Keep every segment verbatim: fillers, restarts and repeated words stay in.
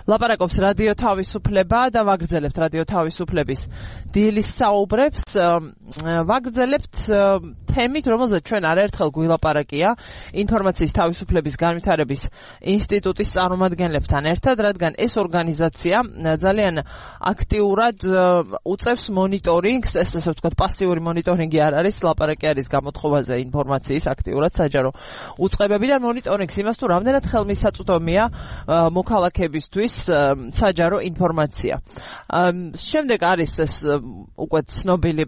ლაპარაკობს რადიო თავისუფლება და ვაგრძელებთ რადიო თავისუფლების დილის საუბრებს. ვაგრძელებთ თემით, რომელზეც ჩვენ არაერთხელ გვილაპარაკია ინფორმაციის თავისუფლების განვითარების ინსტიტუტის წარმომადგენლებთან ერთად, რადგან ეს ორგანიზაცია ძალიან აქტიურად უწევს მონიტორინგს, ეს ასე ვთქვათ, პასიური მონიტორინგი არ არის, ლაპარაკი არის გამოთხოვაზე ინფორმაციის აქტიურად საჯარო უწყებებიდან მონიტორინგს იმას თუ რამდენად ხელმისაწვდომია მოქალაქეებისთვის საჯარო ინფორმაცია. შემდეგ არის ეს უკვე ცნობილი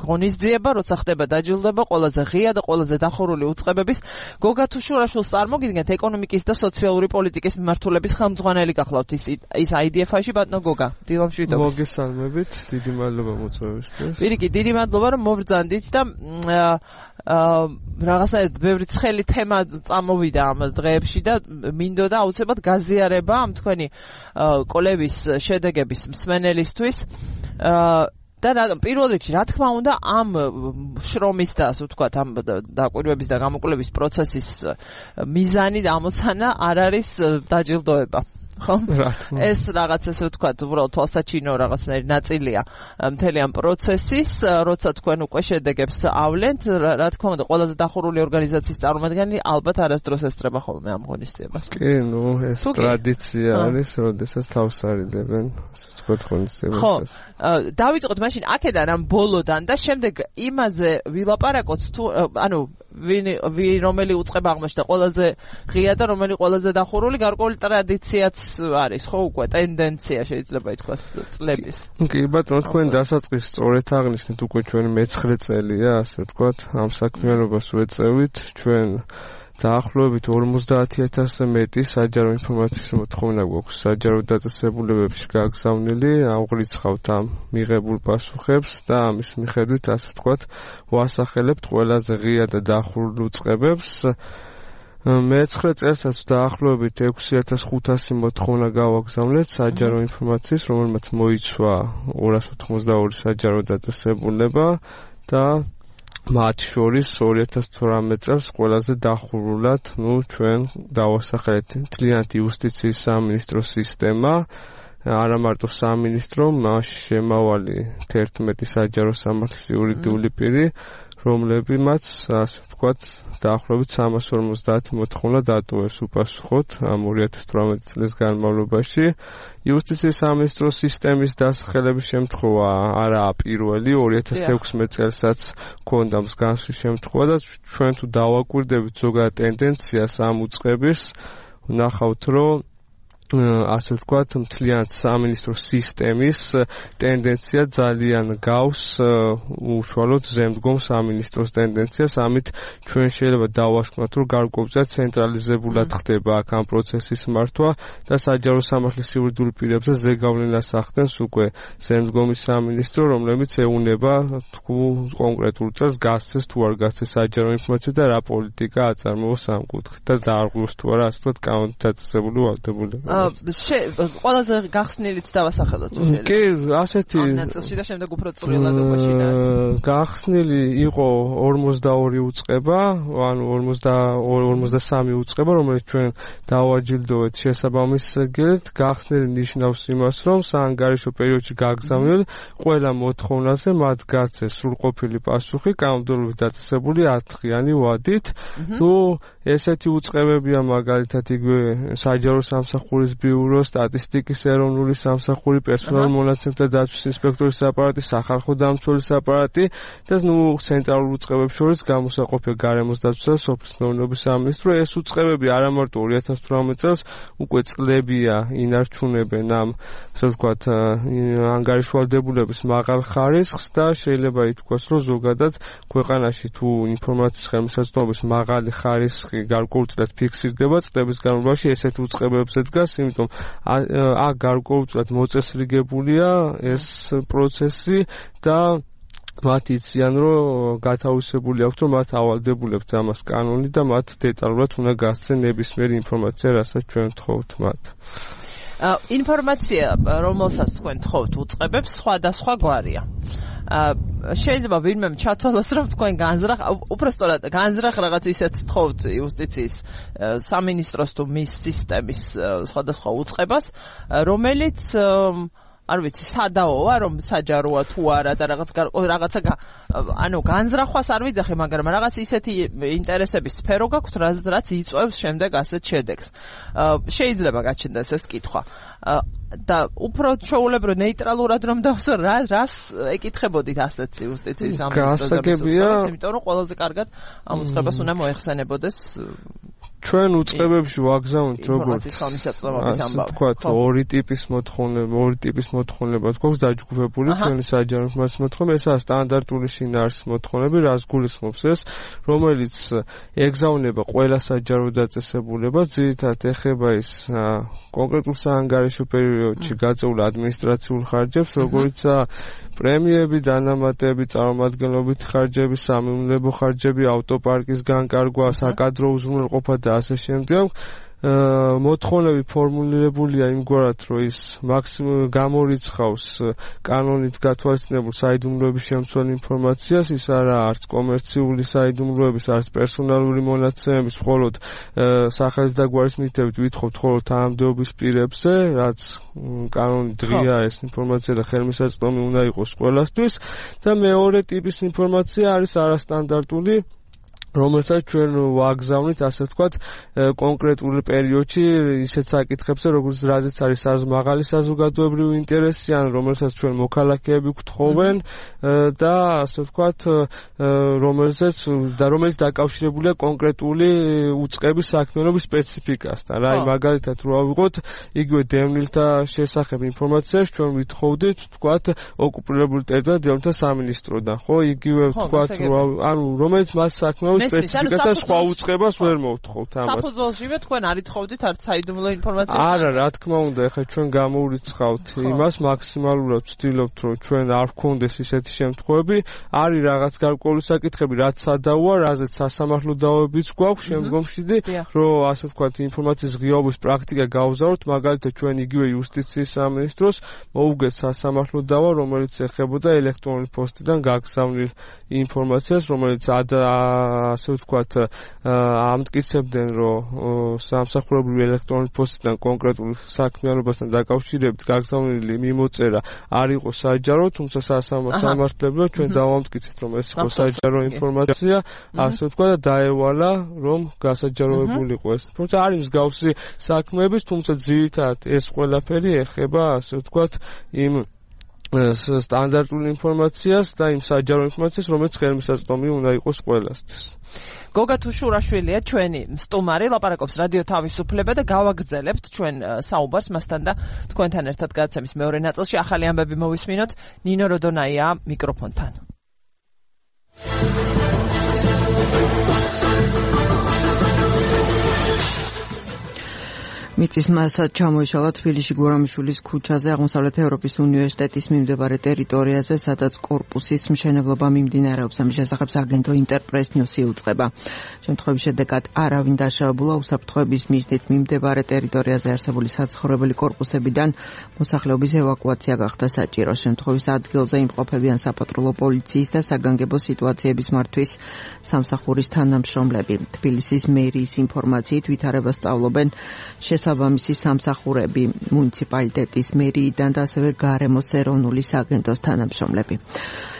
ღონისძიება, როცა ხდება დაჯილდოება ყველაზე ღია და ყველაზე დახურული უწყებების გოგა თუშურაშვილს წარმოგიდგენთ ეკონომიკის და სოციალური პოლიტიკის მიმართულების ხელმძღვანელი გახლავთ ის ის აი დი ეფ-ში ბატონო გოგა. დილამშვიდობის. მოგესალმებით, დიდი მადლობა მოწვევისთვის. პირიქით, დიდი მადლობა რომ მობრძანდით და აა რაღაცნაირად ბევრი ცხელი თემა წამოვიდა ამ დღეებში და მინდოდა აუცილებლად გაზიარება ამ თქვენი კოლების შედეგების მსმენელისთვის. და პირველ რიგში, რა თქმა უნდა, ამ შრომის და ასე ვთქვათ, ამ დაკვირვების და გამოკვლევის პროცესის მიზანი და ამოცანა არ არის დაჯილდოება. ხო? ეს რაღაც ესე ვთქვათ, უბრალოდ თვალსაჩინო რაღაცნაირი ნაწილია მთელი ამ პროცესის, როცა თქვენ უკვე შედეგებს ავლენთ, რა თქმა უნდა, ყველაზე დახურული ორგანიზაციის წარმომადგენელი ალბათ არასდროს ესწრება ხოლმე ამ ღონისძიებას. კი, ნუ ეს ტრადიცია არის, როდესაც თავს არიდებენ, ასე ვთქვათ, ღონისძიებას. ხო, დავიწყოთ მაშინ აქედან ამ ბოლოდან და შემდეგ იმაზე ვილაპარაკოთ თუ, ანუ ვინ ვინ რომელი უწყება აღმოჩნდა ყველაზე ღია და რომელი ყველაზე დახურული, გარკვეული ტრადიციაც არის, ხო, უკვე ტენდენცია შეიძლება ითქვას წლების. კი, ბატონო, თქვენ დასაწყისს სწორედ აღნიშნეთ, უკვე ჩვენ მეცხრე წელია, ასე ვთქვათ, ამ საქმიანობას ვეწევით, ჩვენ დაახლოებით ორმოცდაათი ათასზე მეტი საჯარო ინფორმაციის მოთხოვნა გვაქვს საჯარო დაწესებულებებში გაგზავნილი, ავღრიცხავთ ამ მიღებულ პასუხებს და ამის მიხედვით, ასე ვთქვათ, ვასახელებთ ყველაზე ღია და დახურულ უწყებებს. მეცხრე წელსაც დაახლოებით ექვსი ათას ხუთასი მოთხოვნა გავაგზავნეთ საჯარო ინფორმაციის, რომელმაც მოიცვა ორას ოთხმოცდაორი საჯარო დაწესებულება და მათ შორის ორი ათას თვრამეტ წელს ყველაზე დახურულად, ნუ ჩვენ დავასახელეთ მთლიანად იუსტიციის სამინისტროს სისტემა, არა მარტო სამინისტრო, მასში შემავალი თერთმეტი საჯარო სამართლის იურიდიული პირი, რომლებმაც, ასე ვთქვათ, დაახლოებით სამას ორმოცდაათი მოთხოვნა დატოვეს უპასუხოდ ამ ორი ათას თვრამეტი წლის განმავლობაში. იუსტიციის სამინისტროს სისტემის დასახელების შემთხვევა არაა პირველი, ორი ათას ექვსმეტ წელსაც ჰქონდა მსგავსი შემთხვევა და ჩვენ თუ დავაკვირდებით ზოგადად ტენდენციას ამ უწყების, ვნახავთ, რომ ასე ვთქვათ, მთლიანად სამინისტროს სისტემის ტენდენცია ძალიან გავს უშუალოდ ზემდგომ სამინისტროს ტენდენციას, ამით ჩვენ შეიძლება დავასკვნათ, რომ გარკვეულწილად ცენტრალიზებულად ხდება აქ ამ პროცესის მართვა და საჯარო სამართლის იურიდიულ პირებზე ზეგავლენას ახდენს უკვე ზემდგომი სამინისტრო, რომლებიც ეუნება თუ კონკრეტულ წელს გასცეს თუ არ გასცეს საჯარო ინფორმაცია და რა პოლიტიკა აწარმოოს ამ კუთხით და დაარღვევს თუ არა, ასე ვთქვათ, კანონდაწესებული ვალდებულება. ყველაზე გახსნილიც დავასახელოთ შეიძლება. კი, ასეთი ნაწილში და შემდეგ უფრო წვრილად უყაშინა. გახსნილი იყო ორმოცდაორი უწყება, ანუ ორმოცდასამი უწყება, რომელიც ჩვენ დავაჯილდოვეთ შესაბამის გელით. გახსნილი ნიშნავს იმას, რომ საანგარიშო პერიოდში გაგზავნილ ყველა მოთხოვნაზე მათ გაცეს სრულყოფილი პასუხი, კანონმდებლობით დაწესებული ათღიანი ვადით. თუ ესეთი უწყებებია მაგალითად იგივე საჯარო სამსახურის ბიურო, სტატისტიკის ეროვნული სამსახური, პერსონალურ მონაცემთა დაცვის ინსპექტორის აპარატი, სახალხო დამცველის აპარატი და ნუ ცენტრალურ უწყებებს შორის გამოსაყოფია გარემოს დაცვა და სოფლის მეურნეობის სამინისტრო. ეს უწყებები არა მარტო ორი ათას თვრამეტ წელს უკვე წლებია ინარჩუნებენ ამ, ასე ვთქვათ, ანგარიშვალდებულების მაღალ ხარისხს და შეიძლება ითქვას, რომ ზოგადად ქვეყანაში თუ ინფორმაციის ხელმისაწვდომობის მაღალი ხარისხი გარკვეულწილად ფიქსირდება წლების განმავლობაში, ესეთ უწყებებზე დგას, იმიტომ აქ გარკვეულწილად მოწესრიგებულია ეს პროცესი და მათ იციან, რომ გათავისებული აქვთ, რომ მათ ავალდებულებთ ამას კანონი და მათ დეტალურად უნდა გასცენ ნებისმიერი ინფორმაცია, რასაც ჩვენ ვთხოვთ მათ. ინფორმაცია, რომელსაც თქვენ თხოვთ უწყებებს, სხვადასხვა გვარია. შეიძლება ვინმე ჩათვალოს რომ თქვენ განზრახ უпростоრად განზრახ რაღაც ისეთ თხოვთ იუსტიციის სამინისტროს თუ მის სისტემის სხვადასხვა უწყებას რომელიც არ ვიცი სადაოა რომ საჯაროა თუ არა და რაღაც რაღაცა ანუ განზრახვას არ ვიძახე მაგრამ რაღაც ისეთი ინტერესების სფერო გაქვთ რაც იწვევს შემდეგ ასეთ შედეგს შეიძლება გაჩნდეს ეს კითხვა და უფრო ჩვეულებრივ ნეიტრალურად რომ დავსო რა რას ეკითხებოდით ასეთ იუსტიციის ამბავს იმიტომ რომ ყველაზე კარგად ამ უწყებას უნდა მოეხსენებოდეს ჩვენ უწყებებში ვაგზავნით როგორც ვთქვათ ორი ტიპის მოთხოვნება ორი ტიპის მოთხოვნება გვაქვს დაჯგუფებული ჩვენი საჯარო ინფორმაციის მოთხოვნება ესაა სტანდარტული შინაარსის მოთხოვნები რაც გულისხმობს ეს რომელიც ეგზავნება ყველა საჯარო დაწესებულებას ძირითადად ეხება ის კონკრეტულ საანგარიშო პერიოდში გაწეულ ადმინისტრაციულ ხარჯებს როგორიცაა პრემიები, დანამატები, წარმომადგენლობით ხარჯები, სამეურნეობო ხარჯები, ავტოპარკის განკარგვა, საკადრო უზრუნველყოფა და ასე შემდეგ. მოთხოვნები ფორმულირებულია იმგვარად, რომ ის მაქსიმუმ გამორიცხავს კანონით გათვალისწინებულ საიდუმლოების შემცველ ინფორმაციას, ის არა არც კომერციული საიდუმლოების, არც პერსონალური მონაცემების, მხოლოდ სახელის და გვარის მითებით ვითხოვთ მხოლოდ თანამდებობის პირებზე, რაც კანონით ღია ეს ინფორმაცია და ხელმისაწვდომი უნდა იყოს ყველასთვის და მეორე ტიპის ინფორმაცია არის არასტანდარტული რომელსაც ჩვენ ვაგზავნით, ასე ვთქვათ, კონკრეტულ პერიოდში ისეთ საკითხებზე, როგორც რაზეც არის მაღალი საზოგადოებრივი ინტერესი, ან რომელსაც ჩვენ მოქალაქეები გვთხოვენ და ასე ვთქვათ, რომელზეც და რომელიც დაკავშირებულია კონკრეტული უწყების საქმიანობის სპეციფიკასთან. რა, მაგალითად, რო ავიღოთ, იგივე დევნილთა შესახებ ინფორმაციას ჩვენ ვითხოვდით, ვთქვათ, ოკუპირებული ტერიტორიიდან დევნილთა სამინისტროდან, ხო? იგივე ვთქვათ, ანუ რომელიც მას საქმიანობს სპეციფიკასთან სხვა უწყებას ვერ მოვთხოვთ ამას. საფუძველშივე თქვენ არ ითხოვდით არც საიდუმლო ინფორმაციას? არა, რა თქმა უნდა, ეხლა ჩვენ გამოვრიცხავთ იმას მაქსიმალურად ვცდილობთ, რომ ჩვენ არ ვქონდეს ისეთი შემთხვევები, არის რაღაც გარკვეული საკითხები, რაც სადაოა, რაზეც სასამართლო დავებიც გვაქვს შემდგომში, რომ ასე ვთქვათ, ინფორმაციის ღიაობის პრაქტიკა გავზავნოთ, მაგალითად ჩვენ იგივე იუსტიციის სამინისტროს მოუგეთ სასამართლო დავა, რომელიც ეხებოდა ელექტრონული პოსტიდან გაგზავნილ ინფორმაციას, რომელიც ასე ვთქვათ, ამტკიცებდნენ, რომ სამსახურებრივი ელექტრონული პოსტიდან კონკრეტულ საქმიანობასთან დაკავშირებით გაგზავნილი მიმოწერა არ იყო საჯარო, თუმცა სასამართლებლო ჩვენ დავამტკიცეთ, რომ ეს იყო საჯარო ინფორმაცია, ასე ვთქვათ, და დაევალა, რომ გასაჯაროებული იყო ეს. თუმცა არის მსგავსი საქმეების, თუმცა ძირითადად ეს ყველაფერი ეხება, ასე ვთქვათ, იმ სტანდარტულ ინფორმაციას და იმ საჯარო ინფორმაციას, რომელიც ხელმისაწვდომი უნდა იყოს ყველასთვის. გოგა თუშურაშვილია ჩვენი სტუმარი, ლაპარაკობს რადიო თავისუფლება და გავაგრძელებთ ჩვენ საუბარს მასთან და თქვენთან ერთად გადაცემის მეორე ნაწილში ახალი ამბები მოვისმინოთ. ნინო როდონაია მიკროფონთან. მიწის მასა ჩამოიშალა თბილისში გურამიშვილის ქუჩაზე აღმოსავლეთ ევროპის უნივერსიტეტის მიმდებარე ტერიტორიაზე, სადაც კორპუსის მშენებლობა მიმდინარეობს. ამის შესახებ აგენტო ინტერპრეს ნიუსი უწყება. შემთხვევის შედეგად არავინ დაშავებულა, უსაფრთხოების მიზნით მიმდებარე ტერიტორიაზე არსებული საცხოვრებელი კორპუსებიდან მოსახლეობის ევაკუაცია გახდა საჭირო. შემთხვევის ადგილზე იმყოფებიან საპატრულო პოლიციის და საგანგებო სიტუაციების მართვის სამსახურის თანამშრომლები. თბილისის მერიის ინფორმაციით ვითარებას სწავლობენ შესაბამისი სამსახურები მუნიციპალიტეტის მერიიდან და ასევე გარემოს ეროვნული სააგენტოს თანამშრომლები.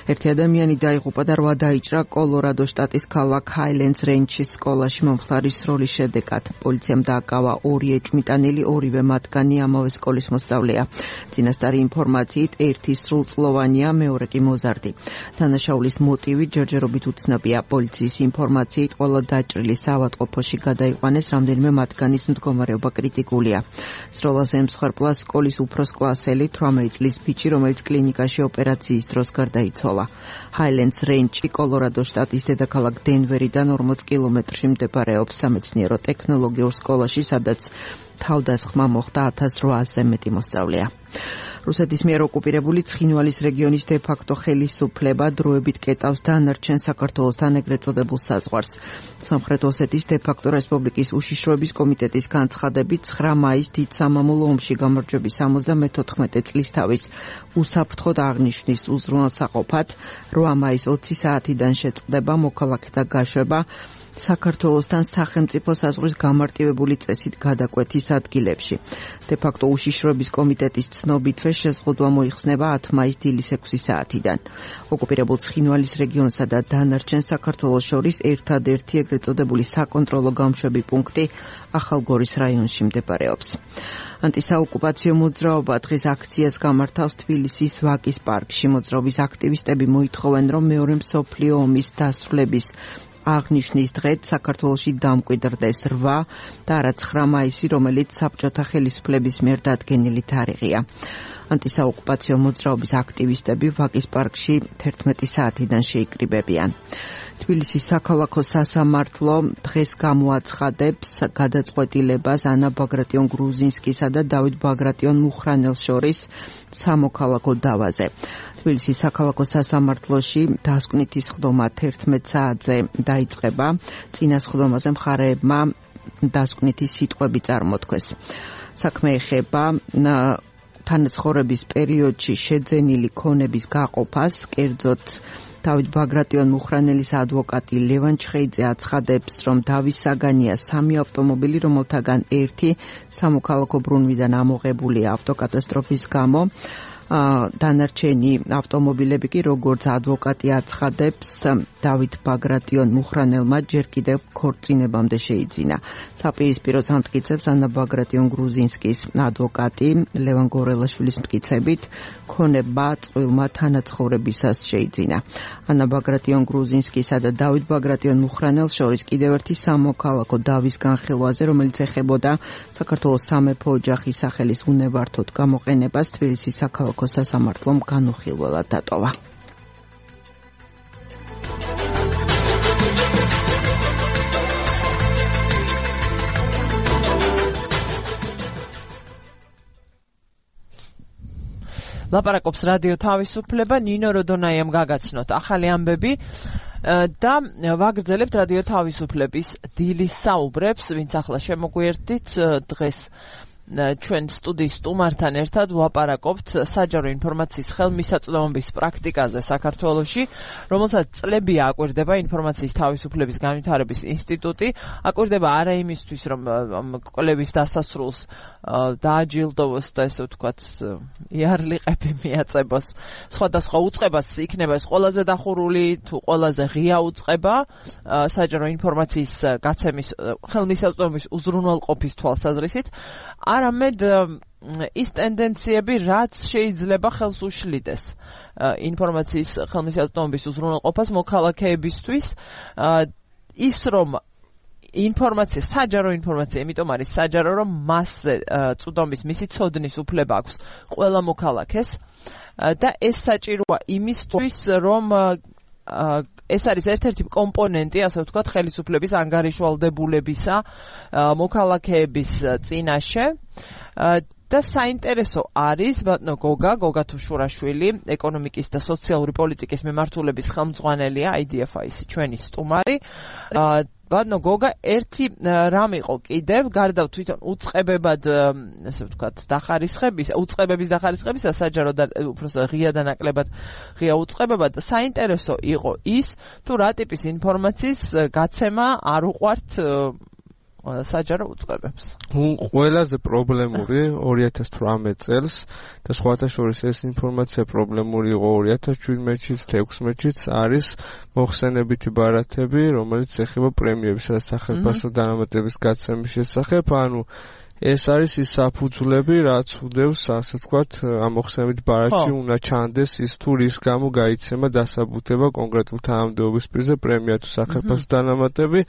ერთი ადამიანი დაიღუპა და რვა დაიჭრა კოლორადო შტატის ქალაქ ჰაილენდს რენჩის სკოლაში მომხდარის სროლის შედეგად. პოლიციამ დააკავა ორი ეჭვმიტანილი, ორივე მათგანი ამავე სკოლის მოსწავლეა. წინასწარი ინფორმაციით ერთი სრულწლოვანია, მეორე კი მოზარდი. დანაშაულის მოტივი ჯერჯერობით უცნობია. პოლიციის ინფორმაციით ყველა დაჭრილი საავადმყოფოში გადაიყვანეს, რამდენიმე მათგანის მდგომარეობა კრიტიკულია. სროლას ემსხვერპლა სკოლის უფროს კლასელი, თვრამეტი წლის ბიჭი, რომელიც კლინიკაში ოპერაციის დროს გარდაიცვალა. ჰაილენდს რენჩი კოლორადო შტატის დედაქალაქ დენვერიდან ორმოც კილომეტრში მდებარეობს სამეცნიერო ტექნოლოგიურ სკოლაში, სადაც თავდასხმა მოხდა ათას რვაასზე მეტი მოსწავლეა. რუსეთის მიერ ოკუპირებული ცხინვალის რეგიონის დე-ფაქტო ხელისუფლება დროებით კეტავს დანარჩენ საქართველოსთან ეგრეთ წოდებულ საზღვარს. სამხრეთ ოსეთის დე-ფაქტო რესპუბლიკის უშიშროების კომიტეტის განცხადებით ცხრა მაისს დიდ სამამულო ომში გამარჯვების ორმოცდამეთოთხმეტე წლის თავის უსაფრთხოდ აღნიშვნის უზრუნველსაყოფად რვა მაისს ოცი საათიდან შეწყდება მოქალაქეთა გაშვება საქართველოსთან სახელმწიფო საზღვრის გამარტივებული წესით გადაკვეთის ადგილებში. დე-ფაქტო უშიშროების კომიტეტის ცნობითვე შეზღუდვა მოიხსნება ათი მაისს დილის ექვსი საათიდან. ოკუპირებულ ცხინვალის რეგიონსა და დანარჩენ საქართველოს შორის ერთადერთი ეგრეთ წოდებული საკონტროლო გამშვები პუნქტი ახალგორის რაიონში მდებარეობს. ანტისაოკუპაციო მოძრაობა დღეს აქციას გამართავს თბილისის ვაკის პარკში. მოძრაობის აქტივისტები მოითხოვენ, რომ მეორე მსოფლიო ომის დასრულების აღნიშნის დღეთ საქართველოში დამკვიდრდეს რვა და არა ცხრა მაისი, რომელიც საბჭოთა ხელისუფლების მიერ დადგენილი თარიღია. ანტისაოკუპაციო მოძრაობის აქტივისტები ვაკის პარკში თერთმეტი საათიდან შეიკრიბებიან. თბილისის საქალაქო სასამართლო დღეს გამოაცხადებს გადაწყვეტილებას ანა ბაგრატიონ გრუზინსკისა და დავით ბაგრატიონ მუხრანელს შორის სამოქალაქო დავაზე. თბილისის საქალაქო სასამართლოში დასკვნითი სხდომა თერთმეტ საათზე დაიწყება. წინა სხდომაზე მხარეებმა დასკვნითი სიტყვები წარმოთქვეს. საქმე ეხება თანაცხოვრების პერიოდში შეძენილი ქონების გაყოფას, კერძოდ დავით ბაგრატიონ მუხრანელის ადვოკატი ლევან ჩხეიძე აცხადებს, რომ დავის საგანია სამი ავტომობილი, რომელთაგან ერთი სამოქალაქო ბრუნვიდან ამოღებულია ავტოკატასტროფის გამო. დანარჩენი ავტომობილები კი, როგორც ადვოკატი აცხადებს, დავით ბაგრატიონ მუხრანელმა ჯერ კიდევ ქორწინებამდე შეიძინა. საპირისპიროს ამტკიცებს ანა ბაგრატიონ გრუზინსკის ადვოკატი ლევან გორელაშვილის მტკიცებით, ქონება წყვილმა თანაცხოვრებისას შეიძინა. ანა ბაგრატიონ გრუზინსკისა და დავით ბაგრატიონ მუხრანელს შორის კიდევ ერთი სამოქალაქო დავის განხილვაზე, რომელიც ეხებოდა საქართველოს სამეფო ოჯახის სახელის უნებართოდ გამოყენებას, თბილისის საქალაქო სასამართლომ განუხილველად დატოვა. ლაპარაკობს რადიო თავისუფლება, ნინო როდონაიამ გაგაცნოთ ახალი ამბები და ვაგრძელებთ რადიო თავისუფლების დილის საუბრებს, ვინც ახლა შემოგვიერთდით დღეს ჩვენ სტუდიის სტუმართან ერთად ვლაპარაკობთ საჯარო ინფორმაციის ხელმისაწვდომობის პრაქტიკაზე საქართველოში, რომელსაც წლებია აკვირდება ინფორმაციის თავისუფლების განვითარების ინსტიტუტი. აკვირდება არა იმისთვის, რომ კვლევის დასასრულს დააჯილდოვოს და ესე ვთქვათ იარლიყები მიაწებოს სხვადასხვა უწყებას, იქნება ეს ყველაზე დახურული თუ ყველაზე ღია უწყება საჯარო ინფორმაციის გაცემის ხელმისაწვდომობის უზრუნველყოფის თვალსაზრისით. არამედ ის ტენდენციები, რაც შეიძლება ხელს უშლიდეს ინფორმაციის ხელმისაწვდომობის უზრუნველყოფას მოქალაქეებისთვის, ის რომ ინფორმაცია, საჯარო ინფორმაცია, იმიტომ არის საჯარო, რომ მასზე წვდომის მისი ცოდნის უფლება აქვს ყველა მოქალაქეს და ეს საჭიროა იმისთვის, რომ ეს არის ერთ-ერთი კომპონენტი, ასე ვთქვათ, ხელისუფლების ანგარიშვალდებულებისა მოქალაქეების წინაშე. და საინტერესო არის, ბატონო გოგა, გოგა თუშურაშვილი, ეკონომიკის და სოციალური პოლიტიკის მიმართულების ხელმძღვანელია, აი დი ეფ აის ჩვენი სტუმარი. ბატონო გოგა, ერთი რამ იყო კიდევ, გარდა თვითონ უწყებებად, ასე ვთქვათ, დახარისხების, უწყებების დახარისხებისა, საჯარო და უბრალოდ ღია და ნაკლებად ღია უწყებებად, საინტერესო იყო ის, თუ რა ტიპის ინფორმაციის გაცემა არ უყვართ საჯარო უწყებებს. ყველაზე პრობლემური ორი ათას თვრამეტ წელს და სხვათა შორის ეს ინფორმაცია პრობლემური იყო ორი ათას შვიდმეტშიც და ექვსმეტშიც არის მოხსენებითი ბარათები, რომელიც ეხება პრემიებისა და სახელმწიფო დანამატების გაცემის შესახებ, ანუ ეს არის ის საფუძვლები, რაც უდევს, ასე ვთქვათ, ამ მოხსენებით ბარათში უნდა ჩანდეს ის თუ რის გამო გაიცემა დასაბუთება კონკრეტულ თანამდებობის პირზე პრემია თუ სახელმწიფო დანამატები.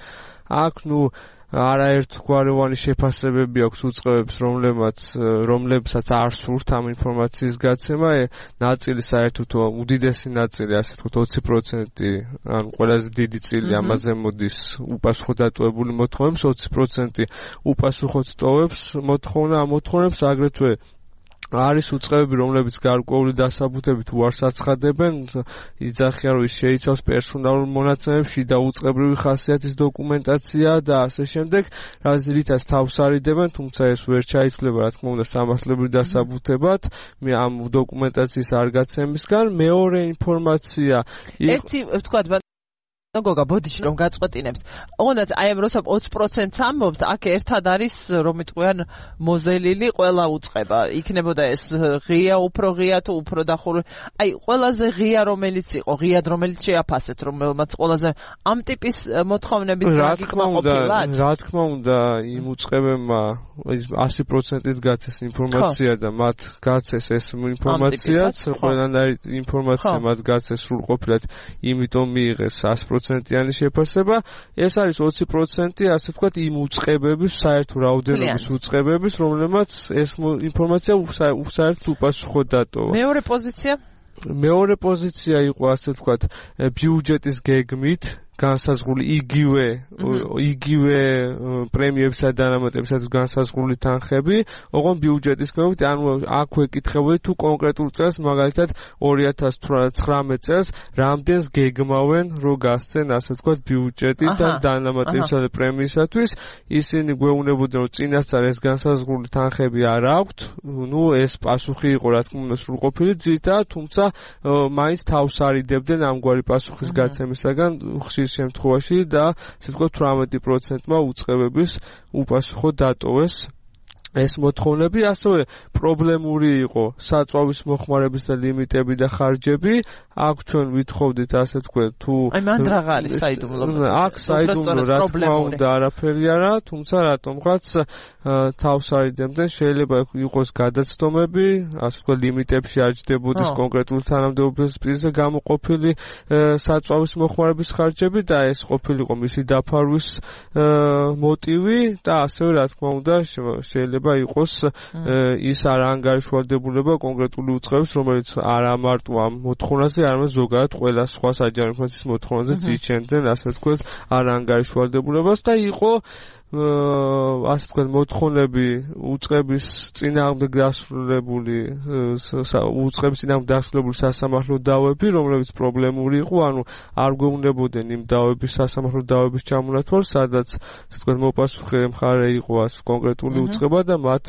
აქ ნუ არაერთგვაროვანი შეფასებები აქვს უწყებებს, რომლებმაც რომლებსაც არ სურთ ამ ინფორმაციის გაცემა. ნაწილი საერთოდ უდიდესი ნაწილი, ასე ვთქვათ, ოცი პროცენტი, ანუ ყველაზე დიდი წილი ამაზე მოდის უპასუხო დატოვებული მოთხოვნებს, ოცი პროცენტი უპასუხოდ ტოვებს მოთხოვნა ამ მოთხოვნებს, აგრეთვე არის უწყებები, რომლებიც გარკვეული დასაბუთებით უარს აცხადებენ, იძახიან, რომ ის შეიცავს პერსონალურ მონაცემებს, შიდა უწყებრივი ხასიათის დოკუმენტაცია და ასე შემდეგ, რითაც თავს არიდებენ, თუმცა ეს ვერ ჩაითვლება, რა თქმა უნდა, სამართლებრივ დასაბუთებად, მე ამ დოკუმენტაციის არ გაცემისგან. მეორე ინფორმაცია ერთი ვთქვათ გოგა ბოდიში რომ გაწყვეტინებთ. ოღონდ აი ამ როცა ოცი პროცენტს ამბობთ, აქ ერთად არის რომ იტყვიან მოზელილი ყველა უწყება. იქნებოდა ეს ღია, უფრო ღია თუ უფრო დახური. აი ყველაზე ღია რომელიც იყო, ღიად რომელიც შეაფასეთ, რომელმაც ყველაზე ამ ტიპის მოთხოვნების გაკითხვა ყოფილა. რა თქმა უნდა, იმ უწყებებმა ასი პროცენტით გაცეს ინფორმაცია და მათ გაცეს ეს ინფორმაციაც, ყველანაირი ინფორმაცია მათ გაცეს სრულყოფილად, იმიტომ მიიღეს ასი პროცენტიანი შეფასება. ეს არის ოცი პროცენტი, ასე ვთქვათ, იმ უწყებების, საერთო რაოდენობის უწყებების, რომლებმაც ეს ინფორმაცია საერთოდ უპასუხოდ დატოვა. მეორე პოზიცია? მეორე პოზიცია იყო, ასე ვთქვათ, ბიუჯეტის გეგმით განსაზღვრული იგივე იგივე პრემიებსა და დანამატებისათვის განსაზღვრული თანხები, ოღონდ ბიუჯეტის გეგმით, ანუ აქვე კითხებული თუ კონკრეტულ წელს, მაგალითად ორი ათას ცხრამეტ წელს, რამდენს გეგმავენ, რომ გასცენ, ასე ვთქვათ, ბიუჯეტი და დანამატებისა და პრემიისათვის, ისინი გვეუბნებოდნენ, რომ წინასწარ ეს განსაზღვრული თანხები არ აქვთ, ნუ ეს პასუხი იყო, რა თქმა უნდა, სრულყოფილი ძირითადად, თუმცა მაინც თავს არიდებდნენ ამგვარი პასუხის გაცემისაგან ხშირ შემთხვევაში და ასე ვთქვათ თვრამეტი პროცენტმა უწყებების უპასუხო დატოვეს ეს მოთხოვნები. ასევე პრობლემური იყო საწვავის მოხმარების და ლიმიტები და ხარჯები. აქ ჩვენ ვითხოვდით, ასე ვთქვათ, თუ აი მან რაღა არის საიდუმლო. აქ საიდუმლო რა თქმა უნდა არაფერი არა, თუმცა რატომღაც თავს არიდებდნენ, შეიძლება იყოს გადაცდომები, ასე ვთქვათ, ლიმიტებში არ ჯდებოდეს კონკრეტული თანამდებობის პირზე გამოყოფილი საწვავის მოხმარების ხარჯები და ეს ყოფილიყო მისი დაფარვის მოტივი და ასევე რა თქმა უნდა შეიძლება იყოს ის არაანგარიშვალდებულება კონკრეტული უწყების, რომელიც არა მარტო ამ მოთხოვნაზე, არამედ ზოგადად ყველა სხვა საჯარო ინფორმაციის მოთხოვნაზე ძირჩენდნენ, ასე ვთქვათ, არაანგარიშვალდებულებას და იყო ასე ვთქვათ მოთხოვნები უწყების წინააღმდეგ დასრულებული უწყების წინააღმდეგ დასრულებული სასამართლო დავები, რომლებიც პრობლემური იყო, ანუ არ გვეუბნებოდნენ იმ დავების სასამართლო დავების ჩამონათვალს, სადაც ასე ვთქვათ მოპასუხე მხარე იყო ასე კონკრეტული უწყება და მათ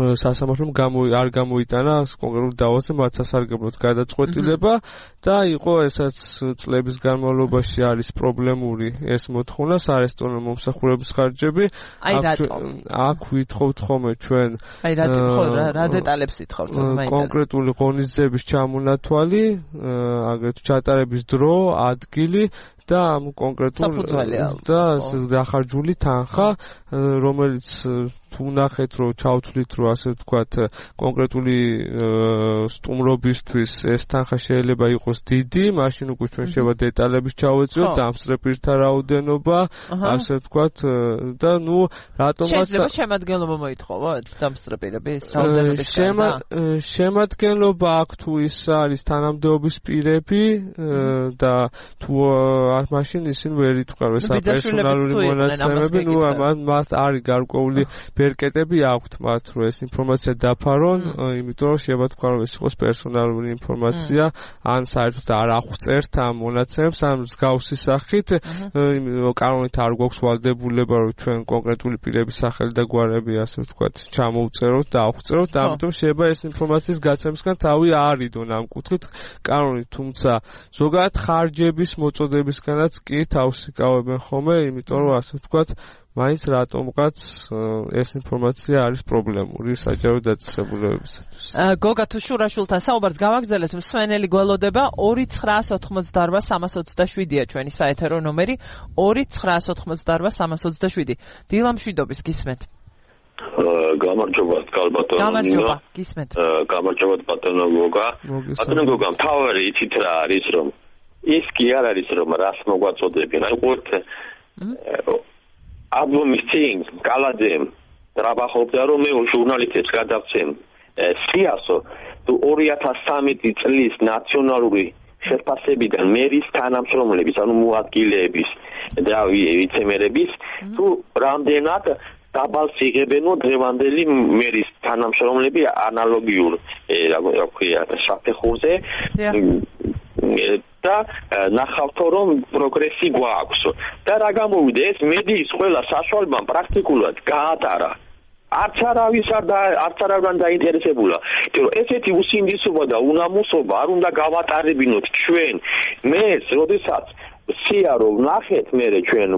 სასამართლომ არ გამოიტანა კონკრეტულ დავაზე მათ სასარგებლოდ გადაწყვეტილება და იყო ესაც წლების განმავლობაში არის პრობლემური ეს მოთხოვნა სარესტორნო მომსახურების ხარჯები. აი რატომ? აქ ვითხოვთ ხოლმე ჩვენ აი რატომ რა დეტალებს ვითხოვთ? კონკრეტული ღონისძიების ჩამონათვალი, აგრეთვე ჩატარების დრო, ადგილი და ამ კონკრეტულ და დახარჯული თანხა, რომელიც თუ ნახეთ, რომ ჩავთვლით, რომ ასე ვთქვათ, კონკრეტული სტუმრობისთვის ეს თანხა შეიძლება იყოს დიდი, მაშინ უკვე ჩვენ შევა დეტალების ჩავეწიოთ, დამსწრეპირთა რაოდენობა, ასე ვთქვათ, და ნუ რატომაც შეიძლება შემადგენლობა მოითხოვოთ დამსწრეპირების რაოდენობის შემადგენლობა აქ თუ ის არის თანამდებობის პირები და თუ მაშინ ისინი ვერ იტყვიან ეს პერსონალური მონაცემები, ნუ მათ არის გარკვეული ბერკეტები აქვთ მათ, რომ ეს ინფორმაცია დაფარონ, იმიტომ რომ შეიძლება თქვა, რომ ეს იყოს პერსონალური ინფორმაცია, ან საერთოდ არ აღწერთ ამ მონაცემებს, ან მსგავსი სახით, კანონით არ გვაქვს ვალდებულება, რომ ჩვენ კონკრეტული პირების სახელი და გვარები, ასე ვთქვათ, ჩამოვწეროთ და აღწეროთ, და ამიტომ შეიძლება ეს ინფორმაციის გაცემისგან თავი აარიდონ ამ კუთხით კანონით, თუმცა ზოგადად ხარჯების მოწოდებისგანაც კი თავს იკავებენ ხოლმე, იმიტომ რომ ასე ვთქვათ, მაინც რატომღაც ეს ინფორმაცია არის პრობლემური საჯარო დაწესებულებებისათვის. გოგა თუ შურაშულთან საუბარს გავაგრძელებთ, მსვენელი გველოდება ორი ცხრაას ოთხმოცდაარბა სამას ოცდაშვიდია ჩვენი საეთერო ნომერი ორი ცხრაას ოთხმოცდაარბა სამას ოცდაშვიდი. დილა მშვიდობის გისმენთ. გამარჯობა კალბატონო. გამარჯობა, გისმენთ. გამარჯობა ბატონო გოგა. ბატონო გოგა, თავარი იცით რა არის, რომ ის კი არ არის, რომ რას მოგვაწოდებენ. აი ყურთ ალბომის წინ კალაძემ ტრაბახობდა, რომ მე ჟურნალისტებს გადავცემ სიასო თუ ორი ათას სამი წლის ნაციონალური შეფასებიდან მერის თანამშრომლების, ანუ მოადგილეების და ვიცემერების თუ რამდენად დაბალს იღებენო დღევანდელი მერის თანამშრომლები ანალოგიურ რა ქვია საფეხურზე და ნახავთო რომ პროგრესი გვაქვს და რა გამოვიდა ეს მედიის ყველა საშუალებამ პრაქტიკულად გაატარა არც არავის არ და არც არავიდან დაინტერესებულა იმიტომ რომ ესეთი უსინდისობა და უნამუსობა არ უნდა გავატარებინოთ ჩვენ მეს როდესაც სია რომ ნახეთ მე ჩვენ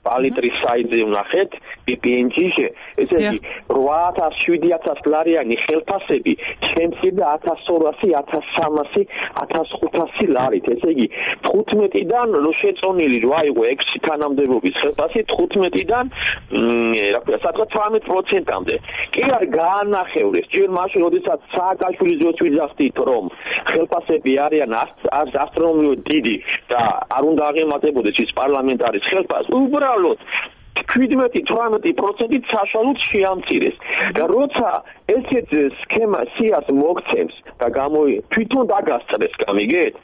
პალიტრის საიტზე ვნახეთ ბი პი εν ჯი-ზე ესე იგი რვა ათას შვიდი ათას ლარიანი ხელფასები ჩემში და ათას ორასი ათას სამასი ათას ხუთასი ლარით ესე იგი თხუთმეტიდან რო შეწონილი რო აიღო ექვსი თანამდებობის ხელფასი თხუთმეტიდან რა ქვია სადღაც ცხრამეტ პროცენტამდე კი არ გაანახევრეს ჯერ მაშინ როდესაც სააკაშვილის დროს ვიძახდით რომ ხელფასები არიან ასტრონომიულად დიდი და არ უნდა აღემატებოდეს ის პარლამენტარის ხელფასს უბრალოდ შვიდმეტი თვრამეტი პროცენტით საშუალოდ შეამცირეს და როცა ესეთ სქემა სიას მოგცემს და გამოი თვითონ დაგასწრეს გამიგეთ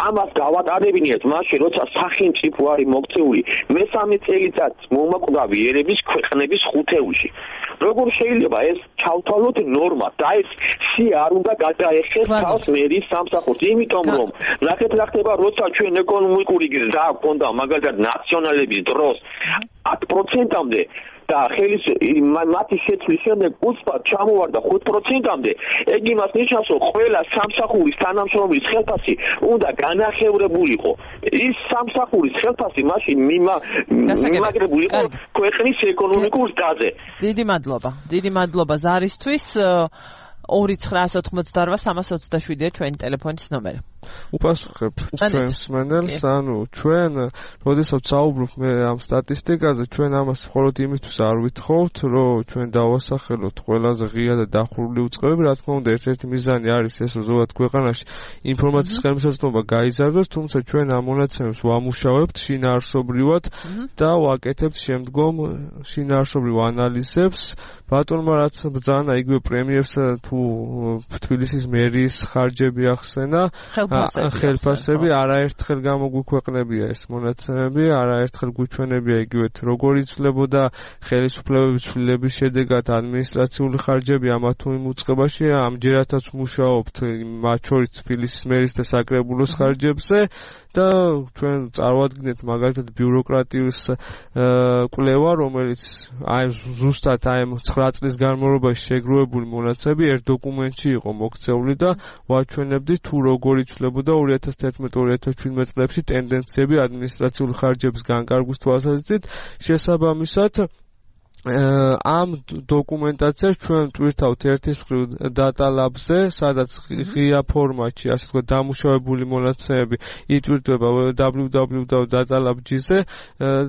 ამას გავატარებინიათ მაშინ როცა სახელმწიფო არის მოქცეული მესამე წელიწადს მომაკვდავი ერების ქვეყნების ხუთეულში როგორ შეიძლება ეს ჩავთვალოთ ნორმა და ეს სია არ უნდა გადაეხეს თავს მერის სამსახურს იმიტომ რომ ნახეთ რა ხდება როცა ჩვენ ეკონომიკური გზა გქონდა მაგალითად ნაციონალების დროს ათ პროცენტამდე და ხელის მათი შეცვლის შემდეგ უცბად ჩამოვარდა ხუთ პროცენტამდე ეგ იმას ნიშნავს რომ ყველა სამსახურის თანამშრომლის ხელფასი უნდა განახევრებულიყო ის სამსახურის ხელფასი მაშინ მიმაგრებულიყო ქვეყნის ეკონომიკურ ზრდაზე დიდი მადლობა დიდი მადლობა ზარისთვის ორი ცხრაას ოთხმოცდაორვა სამას ოცდაშვიდია ჩვენი ტელეფონის ნომერი უპასუხებ ჩვენს მენელს ანუ ჩვენ როდესაც საუბრობ მე ამ სტატისტიკაზე ჩვენ ამას მხოლოდ იმისთვის არ ვითხოვთ რომ ჩვენ დავასახელოთ ყველაზე ღია და დახურული უწყებები რა თქმა უნდა ერთ-ერთი მიზანი არის ეს რომ ზოგადად ქვეყანაში ინფორმაციის ხელმისაწვდომობა გაიზარდოს თუმცა ჩვენ ამ მონაცემებს ვამუშავებთ შინაარსობრივად და ვაკეთებთ შემდგომ შინაარსობრივ ანალიზებს ბატონმა რაც ბრძანა იგივე პრემიერს თუ თბილისის მერის ხარჯები ახსენა ხელფასები არაერთხელ გამოგვიქვეყნებია ეს მონაცემები არაერთხელ გვიჩვენებია იგივე როგორ იცვლებოდა ხელისუფლებების ცვლილების შედეგად ადმინისტრაციული ხარჯები ამა თუ იმ უწყებაში ამჯერადაც მუშაობთ მათ შორის თბილისის მერის და საკრებულოს ხარჯებზე და ჩვენ წარვადგინეთ მაგალითად ბიუროკრატიის კვლევა რომელიც აი ზუსტად აი ცხრა წლის განმავლობაში შეგროვებული მონაცემები ერთ დოკუმენტში იყო მოქცეული და ვაჩვენებდით თუ როგორ იცვლებოდა ორი ათას თერთმეტ ორი ათას ჩვიდმეტ წლებში ტენდენციები ადმინისტრაციული ხარჯების განკარგვის თვალსაზრისით შესაბამისად ამ დოკუმენტაციას ჩვენ ტვირთავთ ერთის მხრივ data lab-ზე, სადაც ღია ფორმატში, ასე ვთქვათ, დამუშავებული მონაცემები იტვირთება დაბლიუ დაბლიუ დაბლიუ დot data lab dot g-ზე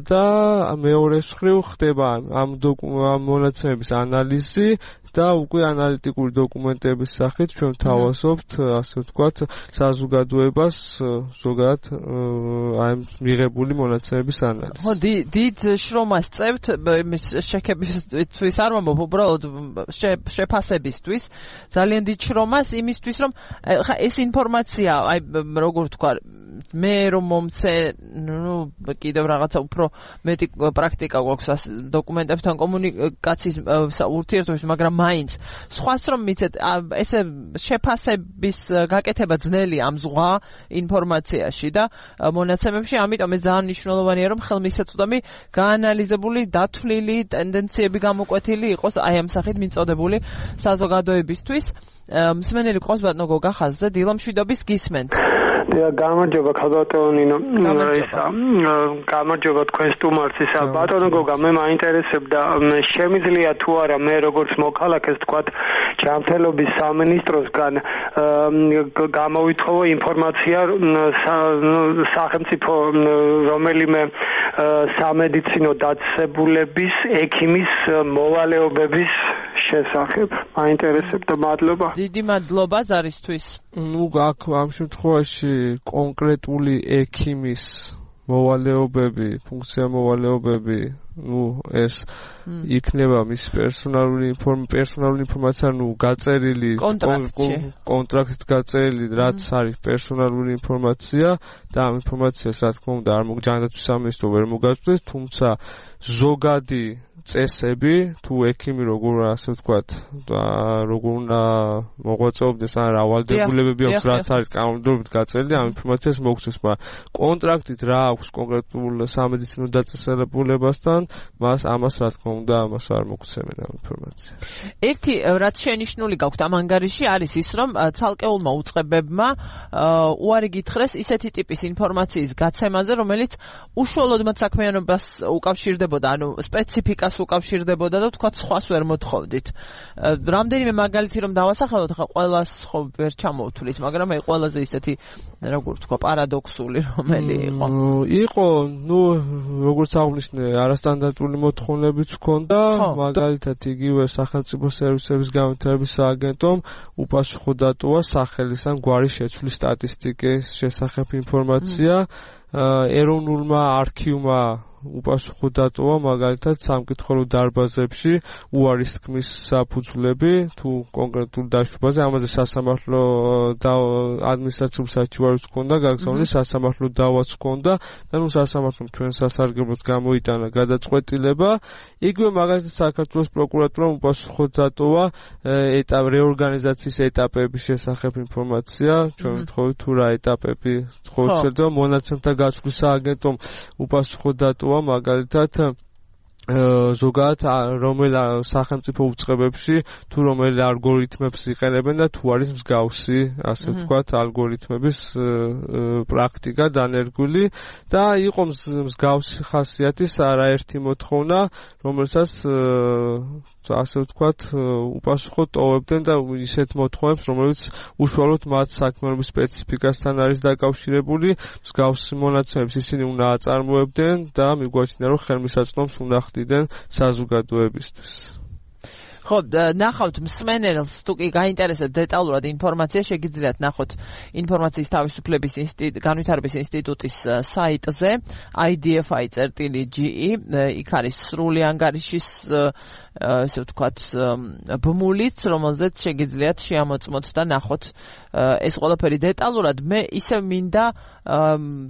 და მეორეს მხრივ ხდება ამ ამ მონაცემების ანალიზი და უკვე ანალიტიკური დოკუმენტების სახით ჩვენ თავაზობთ, ასე ვთქვათ, საზოგადოებას ზოგადად აი მიღებული მონაცემების ანალიზი. ხო, დიდ შრომას წევთ იმის შექებისთვის არ ვამბობ, უბრალოდ შეფასებისთვის, ძალიან დიდ შრომას იმისთვის, რომ ხა ეს ინფორმაცია, აი როგორ ვთქვა, მე რომ მომცე, ნუ კიდევ რაღაცა უფრო მეტი პრაქტიკა გვაქვს დოკუმენტებთან კომუნიკაციის ურთიერთობის, მაგრამ მაინც სხვას რომ მიცეთ ესე შეფასების გაკეთება ძნელია ამ ზღვა ინფორმაციაში და მონაცემებში, ამიტომ ეს ძალიან მნიშვნელოვანია რომ ხელმისაწვდომი გაანალიზებული, დათვლილი, ტენდენციები გამოკვეთილი იყოს აი ამ სახით მიწოდებული საზოგადოებისთვის. მსმენელი ყავს ბატონო გოგა ხაზზე, დილა მშვიდობის გისმენთ. გამარჯობა ქალბატონინო, გამარჯობა თქვენ სტუმარს. ისა ბატონო გოგა, მე მაინტერესებდა შემიძლია თუ არა მე როგორც მოქალაქეს თქვათ ჯანმრთელობის სამინისტროსგან გამოვითხოვო ინფორმაცია სახელმწიფო რომელიმე სამედიცინო დაწესებულების ექიმის მოვალეობების შესახებ. მაინტერესებდა, მადლობა. დიდი მადლობა ზარისთვის. ნუ აქ ამ შემთხვევაში კონკრეტული ექიმის მოვალეობები, ფუნქცია მოვალეობები, ნუ ეს იქნება მის პერსონალური პერსონალური ინფორმაცია, ნუ გაწერილი კონტრაქტით გაწერილი, რაც არის პერსონალური ინფორმაცია და ამ ინფორმაციას რა თქმა უნდა არ მოგჯანდაცვის სამინისტრო ვერ მოგაწვდეს, თუმცა ზოგადი წესები, თუ ექიმი როგორ ასე ვთქვათ, როგორ უნდა მოღვაწეობდეს, ან რა ვალდებულებები აქვს, რაც არის კანონმდებლობით გაწერილი, ამ ინფორმაციას მოგცეს, მაგრამ კონტრაქტით რა აქვს კონკრეტულ სამედიცინო დაწესებულებასთან, მას ამას რა თქმა უნდა, ამას არ მოგცემენ ამ ინფორმაციას. ერთი რაც შენიშნული გაქვთ ამ ანგარიში არის ის, რომ ცალკეულმა უწყებებმა უარი გითხრეს ისეთი ტიპის ინფორმაციის გაცემაზე, რომელიც უშუალოდ მათ საქმიანობას უკავშირდებოდა, ანუ სპეციფიკას უკავშირდებოდა და თქვა სხვას ვერ მოთხოვდით. რამდენიმე მაგალითი რომ დავასახელოთ, ხა ყველას ხო ვერ ჩამოვთulit, მაგრამ აი ყველაზე ისეთი როგორ ვთქვა პარადოქსული რომელი იყო. იყო, ნუ როგორც აღნიშნე, არასტანდარტული მოთხოვნებიც ჰქონდა, მაგალითად იგივე სახელმწიფო სერვისების განვითარების სააგენტომ უპასუხო დატოვა სახელის ან გვარის შეცვლის სტატისტიკის შესახებ ინფორმაცია, ეროვნულმა არქივმა უპასუხო დატოვა მაგალითად სამკითხველო დარბაზებში უარის თქმის საფუძვლები თუ კონკრეტულ დაშვებაზე, ამაზე სასამართლო და ადმინისტრაციული საჩივარიც ჰქონდა, გაგზავნეს სასამართლო დავაც ჰქონდა და ნუ სასამართლომ ჩვენ სასარგებლოდ გამოიტანა გადაწყვეტილება. იგივე მაგალითად საქართველოს პროკურატურამ უპასუხო დატოვა ეტაპ რეორგანიზაციის ეტაპების შესახებ ინფორმაცია, ჩვენ ვთხოვით თუ რა ეტაპები ხორცელდება, მონაცემთა გაცვლის სააგენტომ უპასუხო დატოვა მაგალითად ზოგადად რომელ სახელმწიფო უწყებებში თუ რომელ ალგორითმებს იყენებენ და თუ არის მსგავსი, ასე ვთქვათ, ალგორითმების პრაქტიკა დანერგული და იყო მსგავსი ხასიათის არაერთი მოთხოვნა, რომელსაც ასე ვთქვათ, უპასუხო ტოვებდნენ და ისეთ მოთხოვნებს, რომელიც უშუალოდ მათ საქმიანობის სპეციფიკასთან არის დაკავშირებული, მსგავსი მონაცემებს ისინი უნდა აწარმოებდნენ და მიგვაჩნია, რომ ხელმისაწვდომს უნდა ხდიდნენ საზოგადოებისთვის. ხო, ნახავთ მსმენელს თუ კი გაინტერესებთ დეტალურად ინფორმაცია, შეგიძლიათ ნახოთ ინფორმაციის თავისუფლების განვითარების ინსტიტუტის საიტზე i d f i dot g e, იქ არის სრული ანგარიშის ესე ვთქვათ ბმულიც, რომელზეც შეგიძლიათ შეამოწმოთ და ნახოთ ეს ყველაფერი დეტალურად. მე ისე მინდა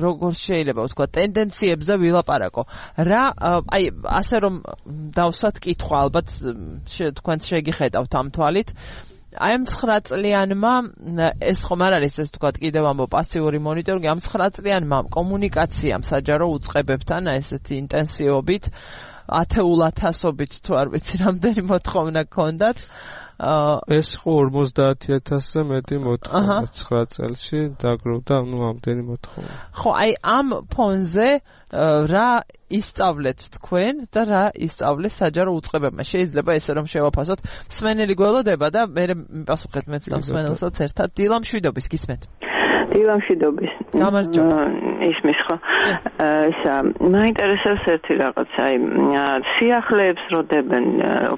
როგორ შეიძლება ვთქვათ ტენდენციებზე ვილაპარაკო. რა აი ასე რომ დავსვათ კითხვა, ალბათ თქვენ შეგიხედავთ ამ თვალით. აი ამ ცხრა წლიანმა ეს ხომ არ არის ეს ვთქვათ კიდევ ამბო პასიური მონიტორინგი, ამ ცხრა წლიანმა კომუნიკაციამ საჯარო უწყებებთან ესეთი ინტენსივობით ათეულ ათასობით თუ არ ვიცი რამდენი მოთხოვნა გქონდათ. ეს ხო ორმოცდაათი ათასზე მეტი მოთხოვნა ცხრა წელში დაგროვდა, ნუ ამდენი მოთხოვნა. ხო, აი ამ ფონზე რა ისწავლეთ თქვენ და რა ისწავლეს საჯარო უწყებებმა? შეიძლება ესე რომ შევაფასოთ, მსმენელი გველოდება და მე მიპასუხეთ მეც და მსმენელსაც ერთად. დილა მშვიდობის, გისმენთ? დილა მშვიდობის. გამარჯობა. ისმის ხო. ისა მაინტერესებს ერთი რაღაც, აი სიახლეებს როდებენ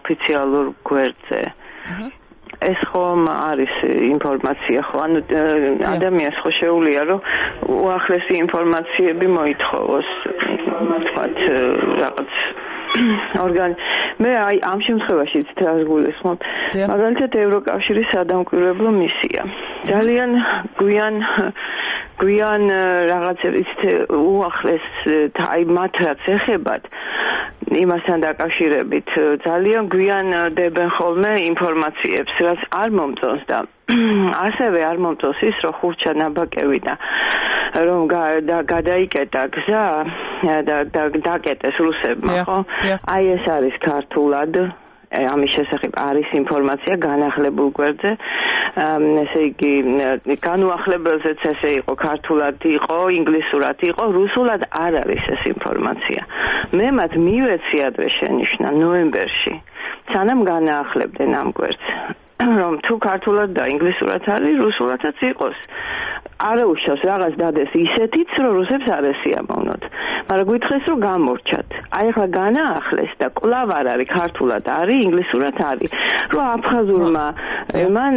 ოფიციალურ გვერდზე. ეს ხომ არის ინფორმაცია ხო, ანუ ადამიანს ხო შეუძლია რომ უახლესი ინფორმაციები მოითხოვოს, თქვათ რაღაც ორგან მე აი ამ შემთხვევაშიც თავს გულისხმობ, მაგალითად ევროკავშირის სადამკვირვებლო მისია ძალიან გვიან გვიან რაღაცების უახლეს აი მათ რაც ეხებათ იმასთან დაკავშირებით ძალიან გვიან დებენ ხოლმე ინფორმაციებს, რაც არ მომწონს და ასევე არ მომწონს ის, რომ ხურჩა ნაბაკევი და რომ გადაიკეტა გზა და დაკეტეს რუსებმა, ხო? აი ეს არის ქართულად, ამის შესახებ არის ინფორმაცია განახლებულ გვერდზე, ესე იგი განუახლებელზეც ესე იყო, ქართულად იყო, ინგლისურად იყო, რუსულად არ არის ეს ინფორმაცია. მე მათ მივეცი ადრე შენიშნა ნოემბერში, სანამ განაახლებდნენ ამ გვერდს, რომ თუ ქართულად და ინგლისურად არის, რუსულადაც იყოს. არა უშავს რაღაც დადეს ისეთიც, რომ რუსებს არ ესიამოვნოთ. მაგრამ გითხეს რომ გამორჩათ. აი ახლა განაახლეს და კვლავ არ არის ქართულად არის, ინგლისურად არის. რომ აფხაზურმა მან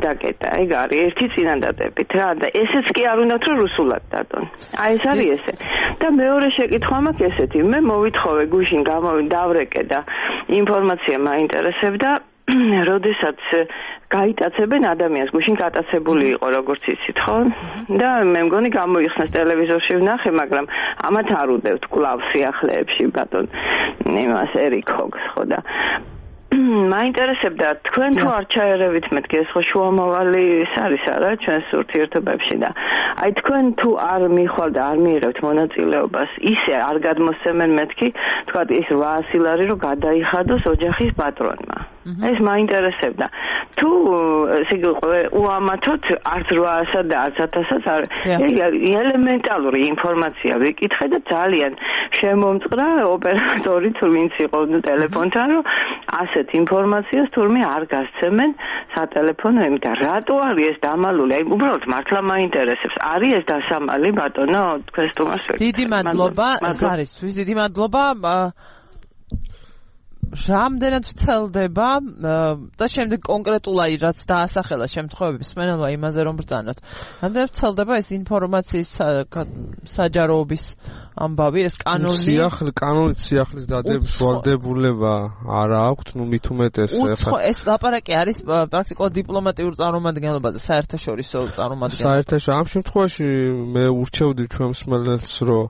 დაკეტა, ეგ არის ერთი წინადადებით რა და ესეც კი არ უნდათ რომ რუსულად დადონ. აი ეს არის ესე. და მეორე შეკითხვა მაქვს ესეთი, მე მოვითხოვე გუშინ გამოვიდავრეკე და ინფორმაცია მაინტერესებდა როდესაც გაიტაცებენ ადამიანს, გუშინ გატაცებული იყო, როგორც იცით, ხო? და მე მგონი გამოიხსნეს ტელევიზორში ვნახე, მაგრამ ამათ არ უდევთ კლავ სიახლეებში ბატონ იმას ერიკ ჰოგს, ხო და მაინტერესებდა თქვენ თუ არ ჩაერევით მეთქი ეს ხო შუამავალი ის არის არა ჩვენს ურთიერთობებში და აი თქვენ თუ არ მიხვალ და არ მიიღებთ მონაწილეობას ისე არ გადმოსცემენ მეთქი თქვა ის რვაასი ლარი რომ გადაიხადოს ოჯახის პატრონმა ეს მაინტერესებდა თუ ესე იგი უამათოდ არც რვაასა და არც ათასაც არ ელემენტალური ინფორმაცია ვიკითხე და ძალიან შემომწყდა ოპერატორი თუ ვინც იყო ტელეფონთან რომ ასეთ ინფორმაციას თურმე არ გასცემენ სატელეფონო იმით რატო არის ეს დამალული აი უბრალოდ მართლა მაინტერესებს არის ეს დასამალი ბატონო თქვენ სტუმარს დიდი მადლობა ზარისთვის დიდი მადლობა რამდენად ვცელდება და შემდეგ კონკრეტულად რაც დაასახელა შემთხვევების მენელვა იმაზე რომ ბრძანოთ რამდენად ვცელდება ეს ინფორმაციის საჯაროობის ამბავი ეს კანონი სიახლე კანონით სიახლის დადების ვალდებულება არ აქვს ნუ მით უმეტეს ეს ლაპარაკი არის პრაქტიკულად დიპლომატიურ წარმომადგენლობაზე საერთაშორისო წარმომადგენლობაზე საერთაშორისო ამ შემთხვევაში მე ურჩევდი ჩვენ მსმენელს რომ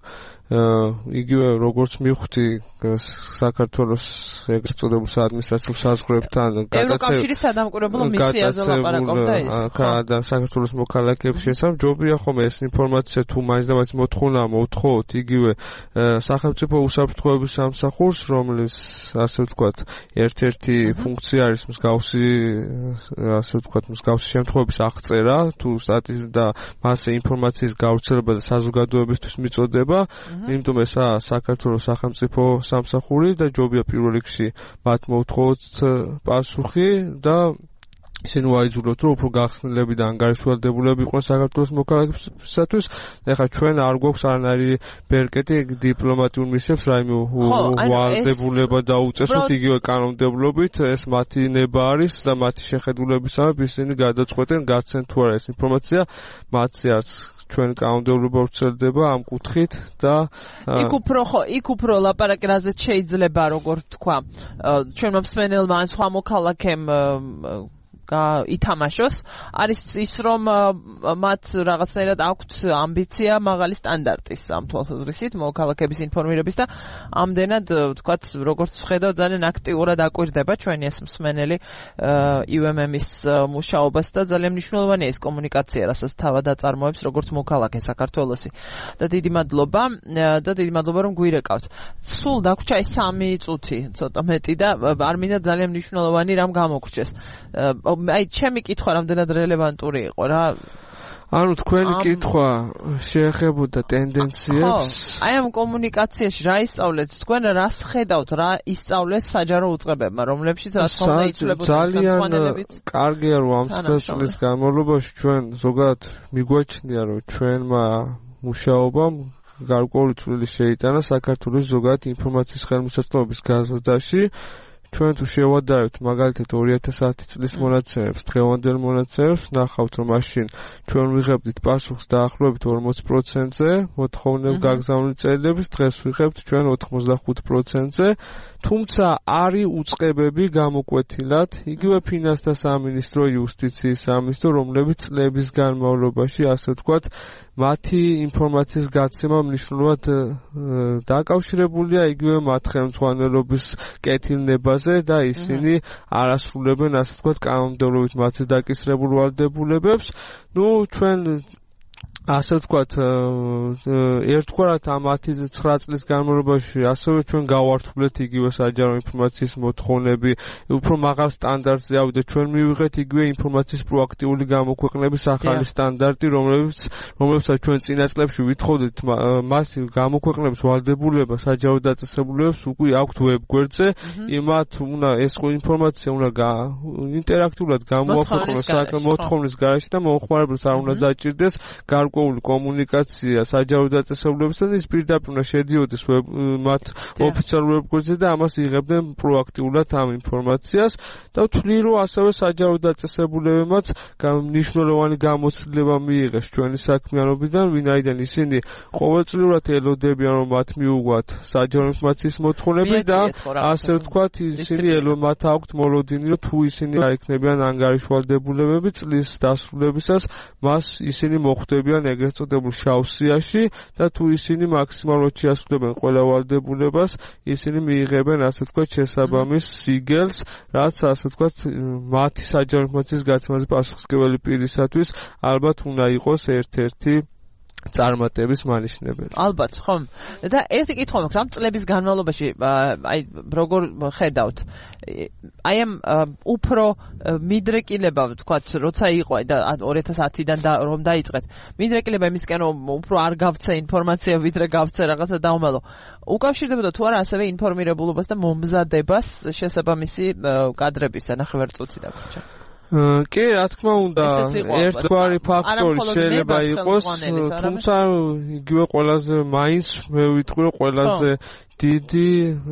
იგივე როგორც მივხვდი საქართველოს ეგრეთ წოდებულ საადმინისტრაციულ საზღვრებთან ევროკავშირის სადამკვირვებლო მისიაზე ლაპარაკობდა ის და საქართველოს მოქალაქეებს შესახებ ჯობია ხომ ეს ინფორმაცია თუ მაინც და მაინც მოთხოვნა მოთხოვოთ იგივე სახელმწიფო უსაფრთხოების სამსახურს რომლის ასე ვთქვათ ერთ-ერთი ფუნქცია არის მსგავსი ასე ვთქვათ მსგავსი შემთხვევების აღწერა თუ სტატისტიკა და მასე ინფორმაციის გავრცელება და საზოგადოებისთვის მიწოდება იმიტომ ესაა საქართველოს სახელმწიფო სამსახური და ჯობია პირველ რიგში მათ მოვთხოვოთ პასუხი და ისინი ვაიძულოთ რომ უფრო გახსნილები და ანგარიშვალდებულები იყვნენ საქართველოს მოქალაქეებისათვის ეხლა ჩვენ არ გვაქვს არანაირი ბერკეტი დიპლომატიურ მისიებს რაიმე ვალდებულება დაუწესოთ იგივე კანონმდებლობით ეს მათი ნება არის და მათი შეხედულებისამებრ ისინი გადაწყვეტენ გაცენ თუ არა ეს ინფორმაცია მათზე არც ჩვენ კანონმდებლობა ვრცელდება ამ კუთხით და იქ უფრო ხო იქ უფრო ლაპარაკი რაზეც შეიძლება როგორ თქვა ჩვენმა მსმენელმა ან სხვა მოქალაქემ ითამაშოს არის ის რომ მათ რაღაცნაირად აქვთ ამბიცია მაღალი სტანდარტის ამ თვალსაზრისით მოქალაქეების ინფორმირების და ამდენად ვთქვათ როგორც ვხედავ ძალიან აქტიურად აკვირდება ჩვენი ეს მსმენელი იუ ემ ემ-ის მუშაობას და ძალიან მნიშვნელოვანია ეს კომუნიკაცია რასაც თავად აწარმოებს როგორც მოქალაქე საქართველოსი და დიდი მადლობა და დიდი მადლობა რომ გვირეკავთ სულ დაგვრჩა ეს სამი წუთი ცოტა მეტი და არ მინდა ძალიან მნიშვნელოვანი რამ გამოგვრჩეს აი ჩემი კითხვა რამდენად რელევანტური იყო რა ანუ თქვენი კითხვა შეეხებოდა ტენდენციებს აი ამ კომუნიკაციაში რა ისწავლეთ თქვენ რას ხედავთ რა ისწავლეს საჯარო უწყებებმა რომლებშიც რა თქმა უნდა იცვლებოდა ძალიან კარგია რომ ამ წლის განმავლობაში ჩვენ ზოგადად მიგვაჩნია რომ ჩვენმა მუშაობამ გარკვეული წვლილი შეიტანა საქართველოს ზოგადად ინფორმაციის ხელმისაწვდომობის გაზრდაში ჩვენ თუ შევადარებთ მაგალითად ორი ათას ათი წლის მონაცემებს, დღევანდელ მონაცემებს, ნახავთ რომ მაშინ ჩვენ ვიღებდით პასუხს დაახლოებით ორმოცი პროცენტზე, მოთხოვნილ გაგზავნილი წერილების, დღეს ვიღებთ ჩვენ ოთხმოცდახუთ პროცენტზე, თუმცა არის უწყებები გამოკვეთილად, იგივე ფინანსთა სამინისტრო, იუსტიციის სამინისტრო, რომლებიც წლების განმავლობაში, ასე ვთქვათ, მათი ინფორმაციის გაცემა მნიშვნელოვნად დაკავშირებულია იგივე მათ ხელმძღვანელობის კეთილნებაზე და ისინი არასრულებენ, ასე ვთქვათ, კანონმდებლობით მათზე დაკისრებულ ვალდებულებებს. ნუ ჩვენ ასე ვთქვათ, ერთგვარად ამ ათი ცხრა წლის განმავლობაში ასევე ჩვენ გავართულეთ იგივე საჯარო ინფორმაციის მოთხოვნები, უფრო მაღალ სტანდარტზე ავიდა ჩვენ მივიღეთ იგივე ინფორმაციის პროაქტიული გამოქვეყნების ახალი სტანდარტი, რომლებიც რომლებსაც ჩვენ წინა წლებში ვითხოვდით მას გამოქვეყნების ვალდებულება საჯარო დაწესებულებებს უკვე აქვთ ვებგვერდზე, იმათ უნდა ეს ინფორმაცია უნდა ინტერაქტიულად გამოაქვეყნოს მოთხოვნის გარეშე და მომხმარებელს არ უნდა დაჭირდეს გარკვეული გარკვეული კომუნიკაცია საჯარო დაწესებულებასთან ის პირდაპირ უნდა შედიოდეს მათ ოფიციალურ ვებგვერდზე და ამას იღებდნენ პროაქტიულად ამ ინფორმაციას და ვთვლი რომ ასევე საჯარო დაწესებულებებმაც მნიშვნელოვანი გამოცდილება მიიღეს ჩვენი საქმიანობიდან ვინაიდან ისინი ყოველწლიურად ელოდებიან რომ მათ მიუგვათ საჯარო ინფორმაციის მოთხოვნები და ასე ვთქვათ ისინი ელომათ აქვთ მოლოდინი რომ თუ ისინი აიქნებიან ანგარიშვალდებულებები წლის დასრულებისას მას ისინი მოხვდებიან ეგრეთ წოდებულ შავ სიაში და თუ ისინი მაქსიმალურად შეასრულებენ ყველა ვალდებულებას ისინი მიიღებენ ასე ვთქვათ შესაბამის სიგელს რაც ასე ვთქვათ მათი საჯარო ინფორმაციის გაცემაზე პასუხისმგებელი პირისათვის ალბათ უნდა იყოს ერთ-ერთი წარმატების მანიშნებელი. ალბათ, ხომ? და ერთი კითხვა მაქვს, ამ წლების განმავლობაში, აი, როგორ ხედავთ? აი ამ უფრო მიდრეკილება, ვთქვათ, როცა იყო და ორი ათას ათიდან და რომ დაიწყეთ. მიდრეკილება იმისკენ რომ უფრო არ გავცე ინფორმაცია, ვიდრე გავცე რაღაცა დაუმალო. უკავშირდებოდა თუ არა ასევე ინფორმირებულობას და მომზადებას შესაბამისი კადრების ნახევარწუთი დაგვრჩა. კი, რა თქმა უნდა, ერთგვარი ფაქტორი შეიძლება იყოს, თუმცა იგივე ყველაზე მაინც მე ვიტყვი რომ ყველაზე დიდი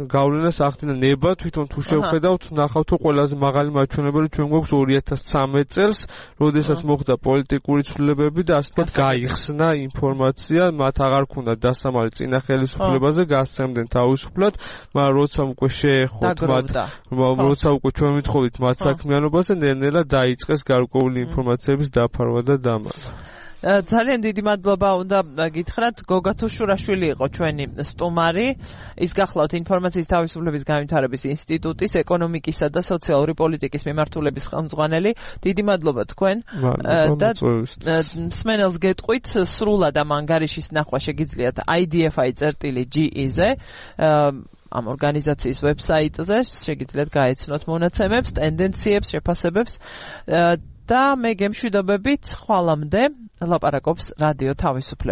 გავლენას ახდენა ნება თვითონ თუ შევხედავთ, ნახავთ რომ ყველაზე მაღალი მაჩვენებელი ჩვენ გვაქვს ორი ათას ცამეტ წელს, როდესაც მოხდა პოლიტიკური ცვლილებები და ასე ვთქვათ გაიხსნა ინფორმაცია, მათ აღარ ქონდათ დასამალი წინა ხელისუფლებაზე, გასცემდნენ თავისუფლად, მაგრამ როცა უკვე შეეხოთ მათ, როცა უკვე ჩვენ ვითხოვით მათ საქმიანობაზე, ნელ-ნელა დაიწყეს გარკვეული ინფორმაციების დაფარვა და დამარხვა. ძალიან დიდი მადლობა უნდა გითხრათ გოგა თუშურაშვილი იყო ჩვენი სტუმარი ის გახლავთ ინფორმაციის თავისუფლების განვითარების ინსტიტუტის ეკონომიკისა და სოციალური პოლიტიკის მიმართულების ხელმძღვანელი დიდი მადლობა თქვენ და მსმენელს გეტყვით სრულად ამ ანგარიშის ნახვა შეგიძლიათ i d f i წერტილი g ზე ამ ორგანიზაციის ვებსაიტზე შეგიძლიათ გაეცნოთ მონაცემებს ტენდენციებს შეფასებებს და მე გემშვიდობებით ხვალამდე ლაპარაკობს რადიო თავისუფლება